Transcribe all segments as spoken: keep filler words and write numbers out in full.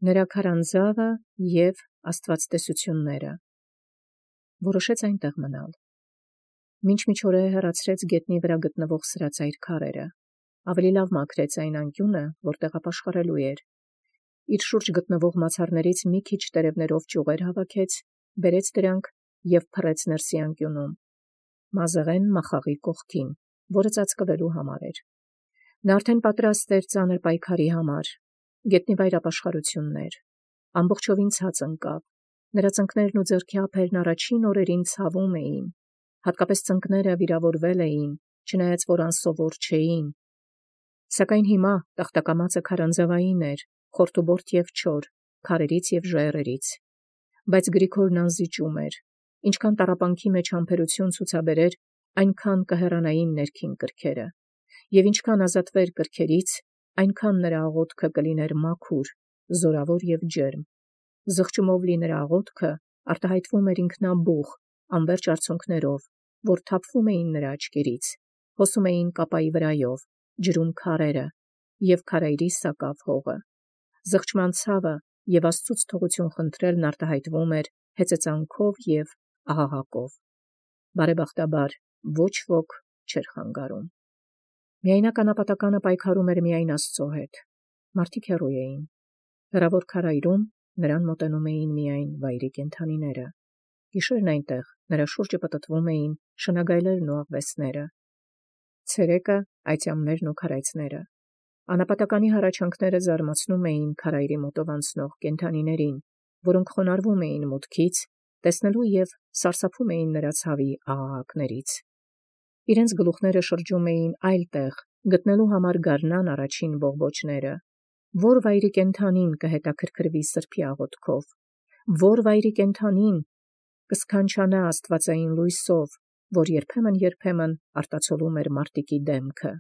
նրա քարանձավը և աստվածտեսությունները, որոշեց այնտեղ մնալ։ Մինչ միջօրեը հեռացրեց գետնի վրա գտնվող սրածայր քարերը, ավելի լավ մաքրեց այն անկյունը, որտեղ ապաշխարելու էր։ Իր շուրջ գտնվող մացառներից մի քիչ տերևներով ճյուղեր հավաքեց, բերեց դրանք և փռեց ներսի անկյունում, մազեղեն մախաղի կողքին, որը ծածկվելու համար էր։ Նա արդեն պատրաստ էր ծանր պայքարի համար, գետնի վայր ապաշխարություններ, ամբողջովին ցած ընկավ, նրա ծնկներն ու ձեռքի ափերն առաջին օրերին ցավում էին, հատկապես ծնկները վիրավորվել էին, չնայած որ անսովոր չէին, սակայն հիմա տախտակամածը քարանձավային էր, խորթուբորտ և չոր, քարերից և ժայռերից, բայց Գրիգորն անզիջում էր, ինչքան տառապանքի մեջ համբերություն ցուցաբերեր, այնքան կհեռանային ներքին կրքերը, և ինչքան ազատվեր կրքերից, այնքան նրա աղոթքը կլիներ մաքուր, զորավոր և ջերմ, զղջումով լի նրա աղոթքը արտահայտվում էր ինքնաբուխ, անվերջ արցունքներով, որ թափվում էին նրա աչքերից, հոսում էին կապայի վրայով, ջրում քարերը և քարայրի սակավ հողը, զղջման ցավը և Աստծուց թողություն խնդրելն արտահայտվում էր հեծեծանքով և աղաղակով, բարեբախտաբար ոչ ոք չէր խանգարում։ Միայնակ անապատականը պայքարում էր միայն Աստծո հետ, մարդիկ հեռու էին, հեռավոր քարայրում նրան մոտենում էին միայն վայրի կենդանիները, գիշերն այնտեղ նրա շուրջը պտտվում էին շնագայլերն ու աղվեսները, ցերեկը այծյամներն ու քարայծները, անապատականի հառաչանքները զարմացնում էին քարայրի մոտով անցնող կենդանիներին, որոնք խոնարհվում էին մուտքից, տեսնելու և սարսափում էին նրա ցավի աղաղակներից։ Իրենց գլուխները շրջում էին այլ տեղ, գտնելու համար գարնան առաջին բողբոջները, որ վայրի կենդանին կհետաքրքրվի սրբի աղոթքով, որ վայրի կենդանին կսքանչանա աստվածային լույսով, որ երբեմն-երբեմն արտացոլում էր մարտիկի դեմքը։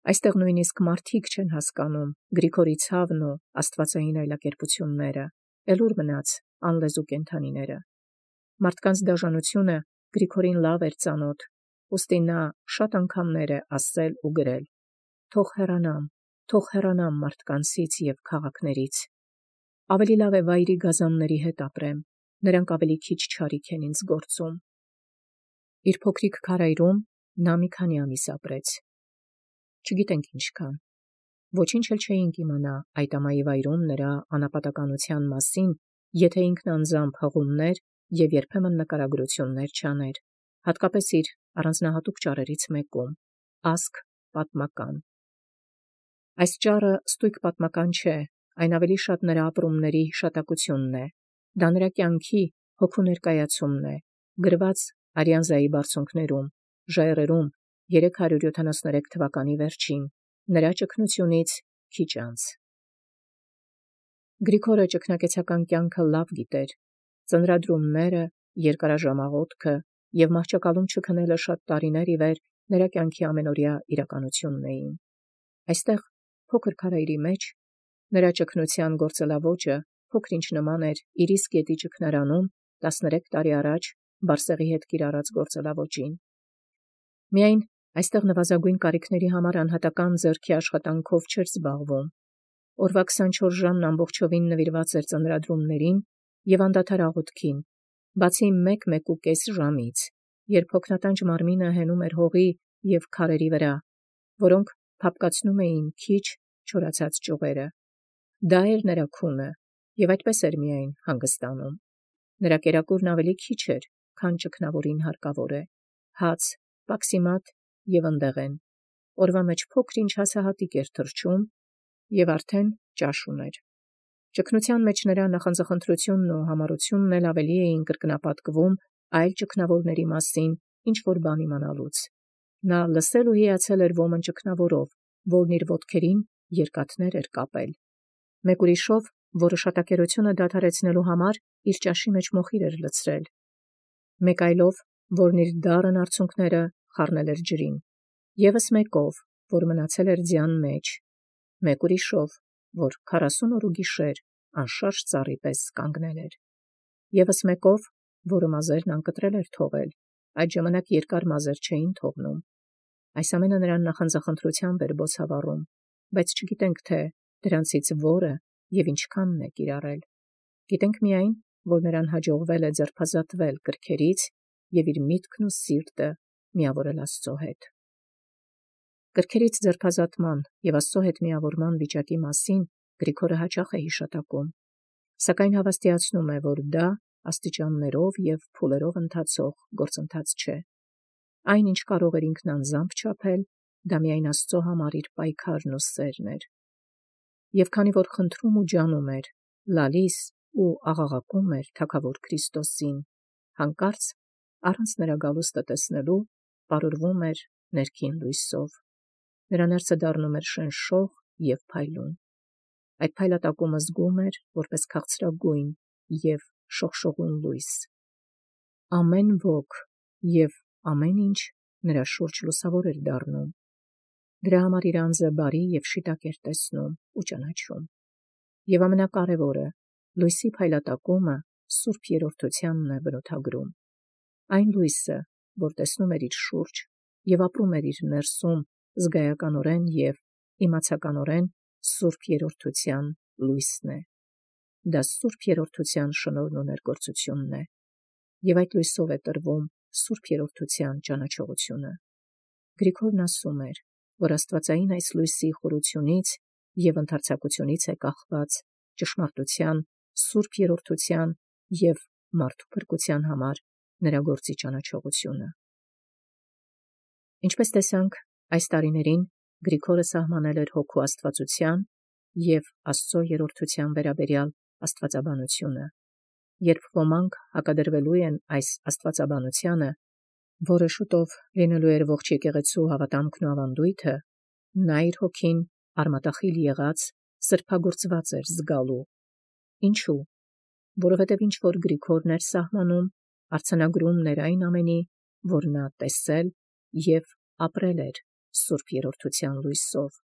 Այստեղ նույնիսկ մարդիկ չեն հասկանում Գրիգորի ցավն ու աստվածային այլակերպությունները, էլ ուր մնաց անլեզու կենդանիները։ Մարդկանց դաժանությունը Գրիգորին լավ էր ծանոթ, ուստի նա շատ անգամներ է ասել ու գրել. «Թող հեռանամ, թող հեռանամ մարդկանցից և քաղաքներից։ Ավելի լավ է վայրի գազանների հետ ապրեմ, նրանք ավելի քիչ չարիք են ինձ գործում»։ Իր փոքրիկ քարայրում նա մի քանի ամիս ապրեց, չգիտենք ինչքան, ոչինչ էլ չէինք իմանա այդ ամայի վայրում նրա անապատականության մասին, եթե ինքն անձամբ հղումներ և երբեմն նկարագրություններ չաներ, հատկապես իր առանձնահատուկ ճառերից մեկում, ասք պատմական։ Այս ճառը ստույգ պատմական չէ, այն ավելի շատ նրա ապրումների հիշատակությունն է, դա նրա կյանքի հոգու ներկայացումն է, գրված Արիանզայի բարձունքներում, ժայռերում երեք հարյուր յոթանասուներեք թվականի վերջին, նրա ճգնությունից քիչ անց։ Գրիգորը ճգնակեցական կյանքը լավ գիտեր, ծնրադրումները, երկարաժամաղոթքը և մահճակալում չքնելը շատ տարիներ ի վեր նրա կյանքի ամենօրյա իրականությունն էին։ Այստեղ, փոքր քարայրի մեջ, նրա ճգնության գործելաոճը փոքր-ինչ նման էր Իրիս գետի ճգնարանում տասներեք տարի առաջ Բարսեղի հետ կիրառած գործելաոճին։ Միայն այստեղ նվազագույն կարիքների համար անհատական ձեռքի աշխատանքով չէր զբաղվում։ Օրվա քսանչորս ժամն ամբողջովին նվիրված էր ծնրադրումներին և անդադար աղոթքին, բացի մեկ-մեկուկես ժամից, երբ հոգնատանջ մարմինը հենում էր հողի և քարերի վրա, որոնք փափկացնում էին քիչ չորացած ճյուղերը։ Դա էր նրա քունը, և այդպես էր միայն հանգստանում։ Նրա կերակուրն ավելի քիչ էր, քան ճգնավորին հարկավոր է, հաց, պաքսիմատ և ընդեղեն, օրվա մեջ փոքր-ինչ հացահատիկ էր թռչում և արդեն ճաշ ուներ։ Ճգնության մեջ նրա նախանձախնդրությունն ու համառությունն էլ ավելի էին կրկնապատկվում այլ ճգնավորների մասին ինչ-որ բան իմանալուց։ Նա լսել ու հիացել էր ոմն ճգնավորով, որն իր ոտքերին երկաթներ էր կապել։ Մեկ ուրիշով, որը շատակերությունը դադարեցնելու համար իր ճաշի մեջ մոխիր էր լցրել։ Մեկ այլով, որն իր դառն արցունքները խառնել էր ջրին։ Եվս մեկով, որ մնացել էր ձյան մեջ։ Մեկ ուրիշով, որ քառասուն օր ու գիշեր անշարժ ծառի պես կանգնել էր։ Եվս մեկով, որը մազերն անկտրել էր թողել, այդ ժամանակ երկար մազեր չէին թողնում։ Այս ամենը նրան նախանձախնդրությամբ էր բոցավառում, բայց չգիտենք, թե դրանցից որը և ինչքանն է կիրառել։ Գիտենք միայն, որ նրան հաջողվել է ձերբազատվել կրքերից և իր միտքն ու սիրտը միավորել Աստծո հետ։ Կրքերից ձերբազատման և Աստծո հետ միավորման վիճակի մասին Գրիգորը հաճախ է հիշատակում, սակայն հավաստիացնում է, որ դա աստիճաններով և փուլերով ընթացող գործընթաց չէ։ Այն, ինչ կարող էր ինքն անձամբ չափել, դա միայն Աստծո համար իր պայքարն ու սերն էր։ Եվ քանի որ խնդրում ու ջանում էր, լալիս ու աղաղակում էր Թագավոր Քրիստոսին, հանկարծ առանց նրա գալուստը տեսնելու պարուրվում էր ներքին լույսով։ Նրա ներսը դառնում էր շնշող և փայլուն։ Այդ փայլատակումը զգում էր որպես քաղցրագույն և շողշողուն լույս։ Ամեն ոք և ամեն ինչ նրա շուրջ լուսավոր էր դառնում։ Դրա համար իր անձը բարի և շիտակ էր տեսնում ու ճանաչում։ Եվ ամենակարևորը, լույսի փայլատակումը սուրբ երրորդությանն է բնութագրում։ Այն լույսը, որ տեսնում էր իր շուրջ և ապրում էր իր ներսում զգայականորեն և իմացականորեն սուրբ երրորդության լույսն է։ Դա սուրբ երրորդության շնորհն ու ներգործությունն է, և այդ լույսով է տրվում սուրբ երրորդության ճանաչողությունը։ Գրիգորն ասում էր, որ աստվածային այս լույսի խորությունից և ընդարձակությունից է կախված ճշմարտության, սուրբ երրորդության և մարդու փրկության համար նրա գործի ճանաչողությունը։ Ինչպես տեսանք, այս տարիներին Գրիգորը սահմանել էր հոգու աստվածության և Աստծո երրորդության վերաբերյալ աստվածաբանությունը։ Երբ ոմանք հակադրվելու են այս աստվածաբանությանը, որը շուտով լինելու էր ողջ եկեղեցու հավատամքն ու ավանդույթը, նա իր հոգին արմատախիլ եղած սրբագործված էր զգալու։ Ինչու՞։ Որովհետև ինչ որ Գրիգորն էր սահմանում, արձանագրումն էր այն ամենի, որ նա տեսել և ապրել էր սուրբ երրորդության լույսով։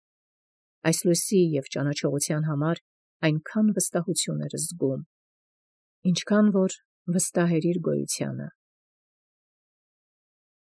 Այս լույսի և ճանաչողության համար այնքան վստահություն էր զգում, ինչքան որ վստահ էր իր գոյությանը։